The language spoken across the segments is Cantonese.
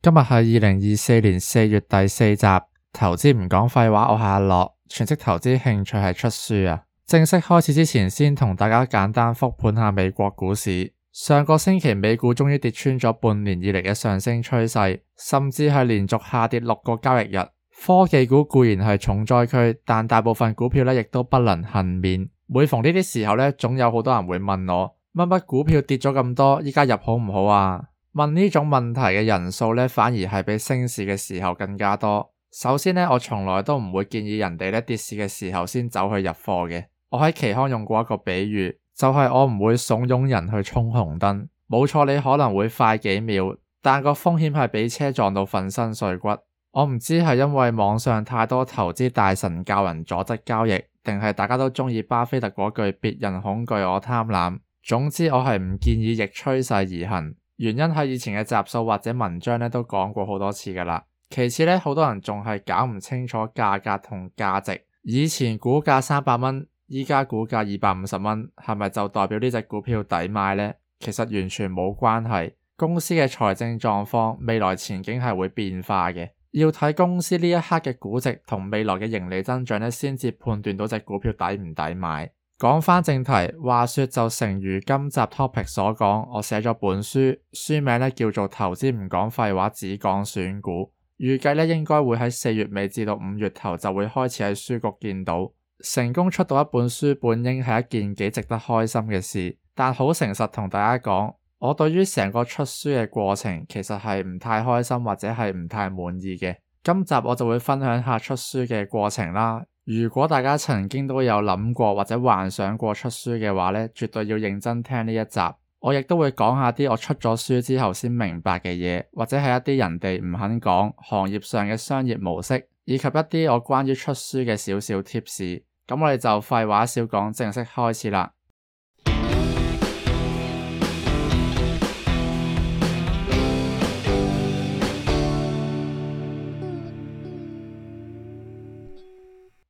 今日係2024年4月第4集，投資唔講廢話，我係阿樂，全職投資興趣係出書啊。正式開始之前，先同大家簡單復盤下美國股市。上個星期美股終於跌穿咗半年以嚟嘅上升趨勢，甚至係連續下跌6個交易日。科技股固然係重災區，但大部分股票亦都不能幸免。每逢呢啲時候總有好多人會問我，乜乜股票跌咗咁多，依家入好唔好啊？問呢種問題嘅人數反而係比升市嘅時候更加多。首先我從來都唔會建議人哋跌市嘅時候先走去入貨嘅。我喺期刊用過一個比喻，就係我唔會慫恿人去衝紅燈。冇錯，你可能會快幾秒，但個風險係俾車撞到粉身碎骨。我唔知係因為網上太多投資大神教人左側交易，定係大家都中意巴菲特嗰句別人恐懼我貪婪。總之我係唔建議逆趨勢而行。原因喺以前嘅集數或者文章都講過好多次㗎喇。其次好多人仲係搞唔清楚價格同價值。以前股價300蚊，依家股價250蚊，係咪就代表呢隻股票抵買呢？其實完全冇關係。公司嘅財政狀況、未來前景係會變化嘅，要睇公司呢一刻嘅估值同未來嘅盈利增長先至判斷到隻股票抵唔抵買。講返正題，話說就誠如今集 topic 所講，我寫咗本書，書名叫做投資唔講廢話，只講選股。預計應該會喺4月尾至到5月頭就會開始喺書局見到。成功出到一本書本應係一件幾值得開心嘅事，但好誠實同大家講，我對於成個出書嘅過程其實係唔太開心或者係唔太滿意嘅。今集我就會分享下出書嘅過程啦。如果大家曾經都有諗過或者幻想過出書嘅話絕對要認真聽呢一集。我亦都會講下啲我出咗書之後先明白嘅嘢，或者係一啲人哋唔肯講行業上嘅商業模式，以及一啲我關於出書嘅少少 tips。咁我哋就廢話少講，正式開始啦。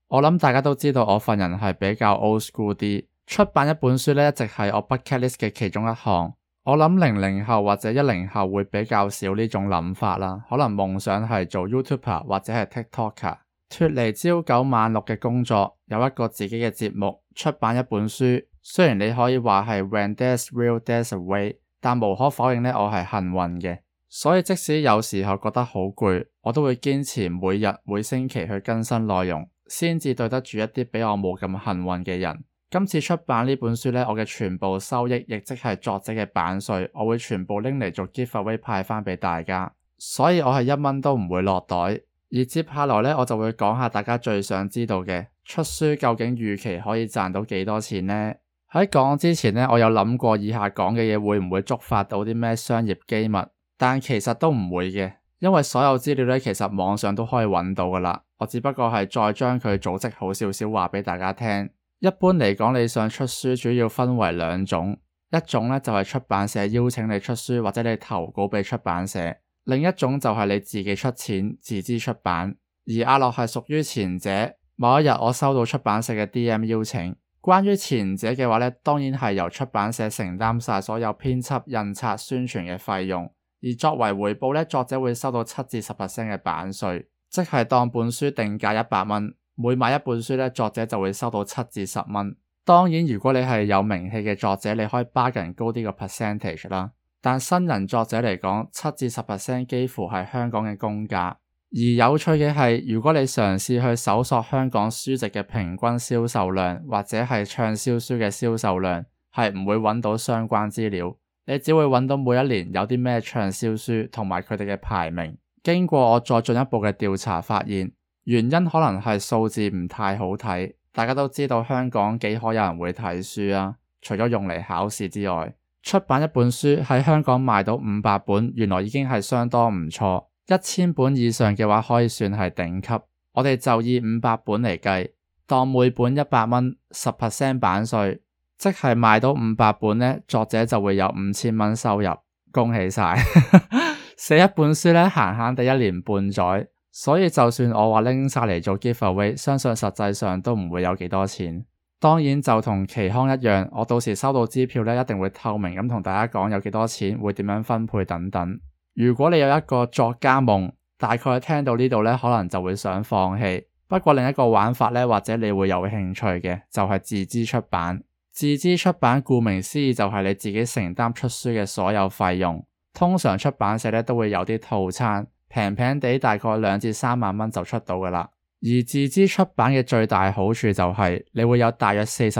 我諗大家都知道我份人係比較 old school 啲，出版一本書一直係我 bucket list 嘅其中一項。我諗00後或者10後會比較少呢種諗法啦，可能夢想係做 YouTuber 或者係 TikToker， 脫離朝9晚6嘅工作，有一個自己嘅節目，出版一本書。雖然你可以話係 When there's will there's a way， 但無可否認我係幸運嘅。所以即使有時候覺得好攰，我都會堅持每日每星期去更新內容，先至對得住一啲比我冇咁幸運嘅人。今次出版呢本書我嘅全部收益，亦即係作者嘅版稅，我會全部拎嚟做 giveaway 派返俾大家，所以我係1蚊都唔會落袋。而接下來我就會講下大家最想知道嘅，出書究竟預期可以賺到幾多錢呢？喺講之前我有諗過以下講嘅嘢會唔會觸發到啲咩商業機密，但其實都唔會嘅，因為所有資料其實網上都可以揾到㗎喇。我只不過係再將佢組織好少少話俾大家聽。一般嚟講，你想出書主要分為2種，一種就係出版社邀請你出書或者你投稿俾出版社，另一種就係你自己出錢自資出版。而阿樂係屬於前者。某一日我收到出版社嘅 DM 邀請，關於前者嘅話當然係由出版社承擔晒所有編輯、印刷、宣傳嘅費用，而作為回報作者會收到7至10% 嘅版稅。即係當本書定價100蚊，每買一本書作者就會收到7至10蚊。當然如果你係有名氣嘅作者，你可以 bargain 高啲個 percentage 啦。但新人作者嚟講，7至10% 幾乎係香港嘅公價。而有趣嘅係，如果你嘗試去搜索香港書籍嘅平均銷售量，或者係暢銷書嘅銷售量，係唔會揾到相關資料。你只會揾到每一年有啲咩暢銷書同埋佢哋嘅排名。經過我再進一步嘅調查發現，原因可能係數字唔太好睇。大家都知道香港幾可有人會睇書啊，除咗用嚟考試之外，出版一本書喺香港賣到500本，原來已經係相當唔錯。1000本以上嘅話可以算係頂級。我哋就以500本嚟計，當每本100蚊，10% 版稅，即係賣到500本作者就會有5000蚊收入。恭喜晒！寫一本書閒閒地1年半載，所以就算我話拎晒嚟做 giveaway， 相信實際上都唔會有幾多錢。當然就同期刊一樣，我到時收到支票一定會透明咁同大家講有幾多錢，會點樣分配等等。如果你有一個作家夢，大概聽到呢度呢，可能就會想放棄。不過另一個玩法呢，或者你會有興趣嘅，就係自資出版。自資出版顧名思義就係你自己承擔出書嘅所有費用。通常出版社呢都會有啲套餐，平平地大概2至3萬蚊就出到㗎喇。而自資出版嘅最大好處就係你會有大約 40%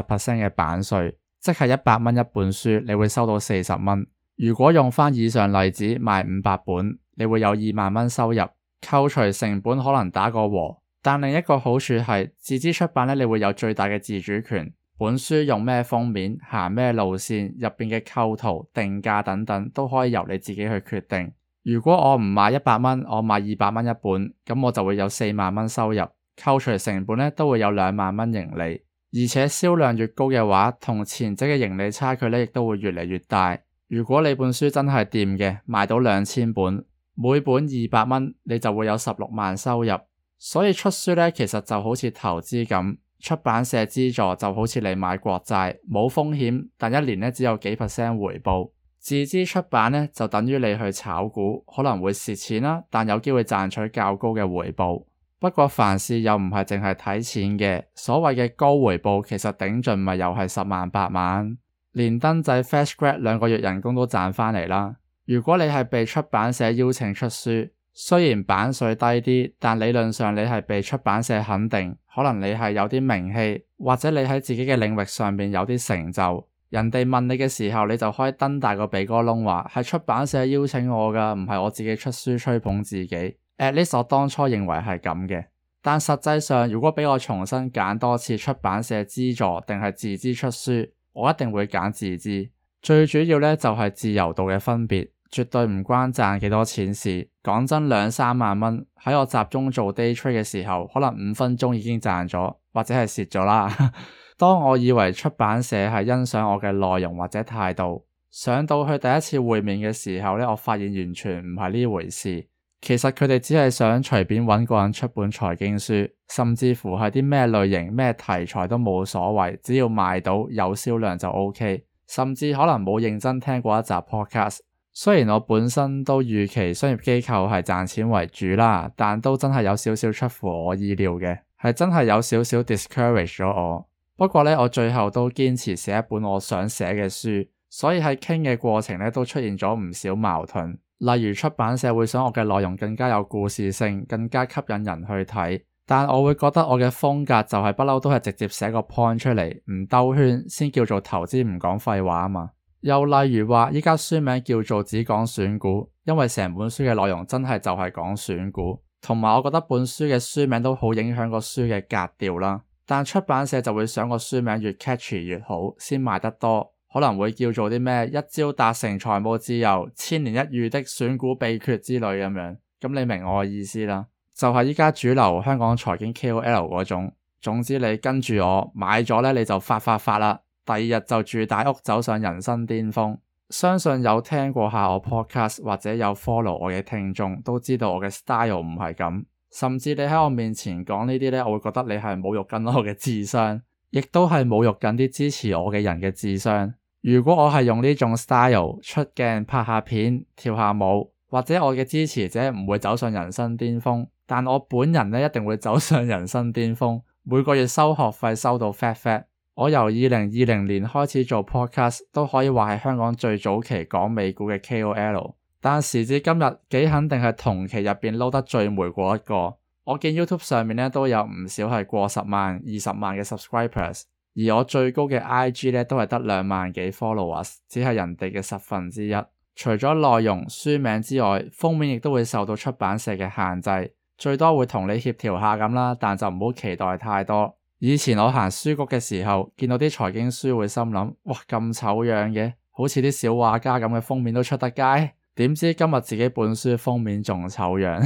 嘅版稅，即係100蚊一本書，你會收到40蚊。如果用返以上例子賣500本，你會有2萬蚊收入，扣除成本可能打個和。但另一個好處係自資出版呢，你會有最大嘅自主權，本書用咩封面、行咩路線、入邊嘅構圖、定價等等都可以由你自己去決定。如果我唔賣100蚊，我賣200蚊一本，咁我就會有4萬蚊收入，扣除成本呢都會有2萬蚊盈利。而且銷量越高嘅話，同前者嘅盈利差距呢亦都會越嚟越大。如果你本書真係掂嘅，賣到2000本，每本200蚊，你就會有16萬收入。所以出書呢，其實就好似投資咁，出版社資助就好似你買國債，冇風險，但一年呢只有幾%回報。自資出版呢，就等於你去炒股，可能會蝕錢啦，但有機會賺取較高嘅回報。不過凡事又唔係淨係睇錢嘅，所謂嘅高回報其實頂盡咪又係10萬8萬，連登仔 Fresh Grad 2個月人工都賺返嚟啦。如果你係被出版社邀請出書，雖然版稅低啲，但理論上你係被出版社肯定，可能你係有啲名氣，或者你喺自己嘅領域上面有啲成就，人哋問你嘅時候，你就可以瞪大個鼻哥窿話係出版社邀請我㗎，唔係我自己出書吹捧自己。At least 我當初認為係咁嘅，但實際上如果俾我重新揀多次出版社資助定係自資出書，我一定會揀自資。最主要呢，就係自由度嘅分別。絕對唔關賺幾多錢事，講真2、3萬蚊喺我集中做 day trade 嘅時候，可能5分鐘已經賺咗，或者係蝕咗啦。當我以為出版社係欣賞我嘅內容或者態度，上到去第一次會面嘅時候呢，我發現完全唔係呢回事。其實佢哋只係想隨便揾個人出本財經書，甚至乎係啲咩類型咩題材都冇所謂，只要賣到有銷量就 OK。甚至可能冇認真聽過一集 podcast。雖然我本身都預期商業機構係賺錢為主啦，但都真係有少少出乎我意料嘅，係真係有少少 discourage 咗我。不過呢，我最後都堅持寫一本我想寫嘅書，所以喺傾嘅過程呢，都出現咗唔少矛盾。例如出版社會想我嘅內容更加有故事性，更加吸引人去睇，但我會覺得我嘅風格就係不嬲都係直接寫個 point 出嚟，唔兜圈先叫做投資，唔講廢話啊嘛。又例如話，依家書名叫做只講選股，因為成本書嘅內容真係就係講選股，同埋我覺得本書嘅書名都好影響個書嘅格調啦。但出版社就會想個書名越 catchy 越好，先賣得多，可能會叫做啲咩一朝達成財務自由、1000年一遇的選股秘訣之類咁樣。咁你明我嘅意思啦，就係依家主流香港財經 KOL 嗰種。總之你跟住我買咗呢，你就發啦。第二日就住大屋，走上人生巔峰。相信有聽過下我 podcast 或者有 follow 我嘅聽眾都知道我嘅 style 唔係咁。甚至你喺我面前講呢啲呢，我會覺得你係侮辱緊我嘅智商，亦都係侮辱緊啲支持我嘅人嘅智商。如果我係用呢種 style 出鏡拍下片跳下舞，或者我嘅支持者唔會走上人生巔峰，但我本人呢一定會走上人生巔峰，每個月收學費收到 fat。我由2020年開始做 podcast， 都可以話係香港最早期講美股嘅 KOL， 但時至今日幾肯定係同期入邊撈得最霉嗰一個。我見 YouTube 上面咧都有唔少係過10萬、20萬嘅 subscribers， 而我最高嘅 IG 咧都係得2萬幾 followers， 只係人哋嘅1/10。除咗內容書名之外，封面亦都會受到出版社嘅限制，最多會同你協調下咁啦，但就唔好期待太多。以前我行書局嘅時候，見到啲財經書會心諗，哇咁醜樣嘅，好似啲小畫家咁嘅封面都出得街。點知今日自己本書封面仲醜樣，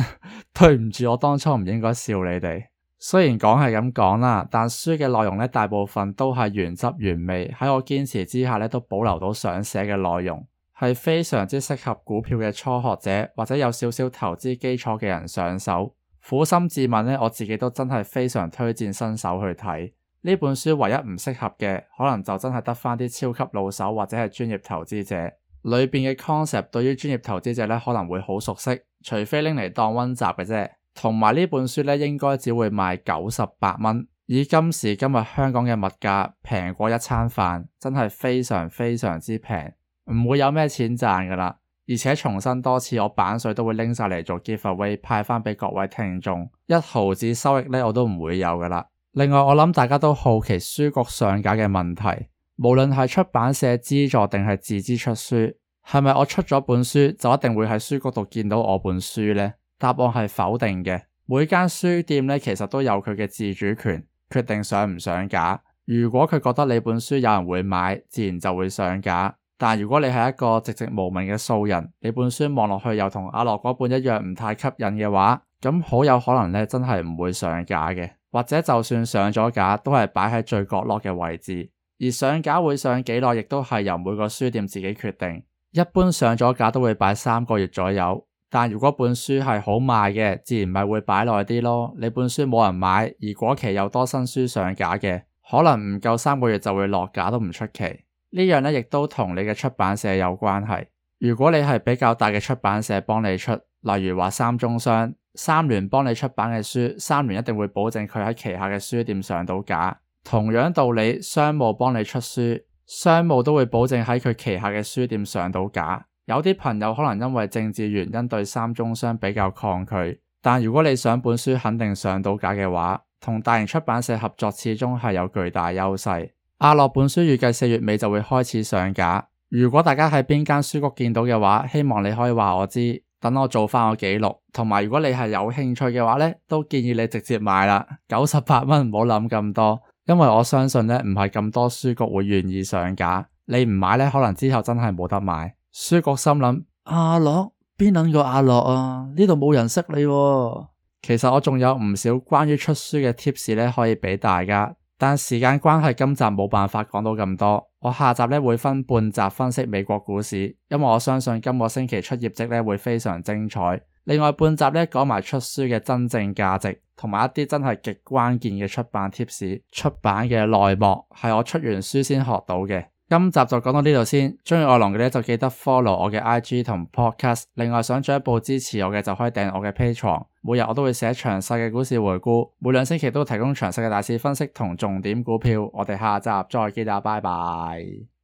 對唔住，我當初唔應該笑你哋。雖然講係咁講啦，但書嘅內容呢，大部分都係原汁原味，喺我堅持之下呢，都保留到想寫嘅內容，係非常之適合股票嘅初學者或者有少少投資基礎嘅人上手。苦心自問呢，我自己都真係非常推薦新手去睇呢本書。唯一唔適合嘅，可能就真係得返啲超級老手或者係專業投資者。裏邊嘅 concept 對於專業投資者咧可能會好熟悉，除非拎嚟當溫習嘅啫。同埋呢本書咧應該只會賣98蚊，以今時今日香港嘅物價平過一餐飯，真係非常非常之平，唔會有咩錢賺噶啦。而且重申多次，我版稅都會拎晒嚟做 giveaway 派翻俾各位聽眾，一毫子收益咧我都唔會有噶啦。另外我諗大家都好奇書局上架嘅問題，無論係出版社資助定係自資出書，係咪我出咗本書就一定會喺書局度見到我本書呢？答案係否定嘅。每間書店咧其實都有佢嘅自主權，決定上唔上架。如果佢覺得你本書有人會買，自然就會上架。但如果你係一個籍籍無名嘅素人，你本書望落去又同阿樂嗰本一樣唔太吸引嘅話，咁好有可能咧真係唔會上架嘅，或者就算上咗架都係擺喺最角落嘅位置。而上架會上幾耐亦都係由每個書店自己決定，一般上咗架都會擺3個月左右。但如果本書係好賣嘅，自然咪會擺耐啲咯。你本書冇人買，而嗰期又多新書上架嘅，可能唔夠3個月就會落架都唔出奇。呢樣咧亦都同你嘅出版社有關係。如果你係比較大嘅出版社幫你出，例如話三中商、三聯幫你出版嘅書，三聯一定會保證佢喺旗下嘅書店上到架。同樣道理，商務幫你出書，商務都會保證喺佢旗下嘅書店上到架。有啲朋友可能因為政治原因對三中商比較抗拒，但如果你想本書肯定上到架嘅話，同大型出版社合作始終係有巨大優勢。阿樂本書預計4月尾就會開始上架，如果大家喺邊間書局見到嘅話，希望你可以話我知，等我做翻個記錄。同埋如果你係有興趣嘅話咧，都建議你直接買啦，98蚊，唔好諗咁多，因為我相信咧唔係咁多書局會願意上架，你唔買咧可能之後真係冇得買。書局心諗，阿樂邊撚個阿樂啊？呢度冇人識你喎。其實我仲有唔少關於出書嘅 tips 咧可以俾大家。但時間關係，今集冇辦法講到咁多。我下集咧會分半集分析美國股市，因為我相信今個星期出業績咧會非常精彩。另外半集咧講埋出書嘅真正價值，同埋一啲真係極關鍵嘅出版 tips， 出版嘅內幕係我出完書先學到嘅。今集就講到呢度先，鍾意我龍嘅咧就記得 follow 我嘅 IG 同 podcast， 另外想進一步支持我嘅就可以訂我嘅 Patreon， 每日我都會寫詳細嘅股市回顧，每2星期都提供詳細嘅大市分析同重點股票，我哋下集再見啦，拜拜。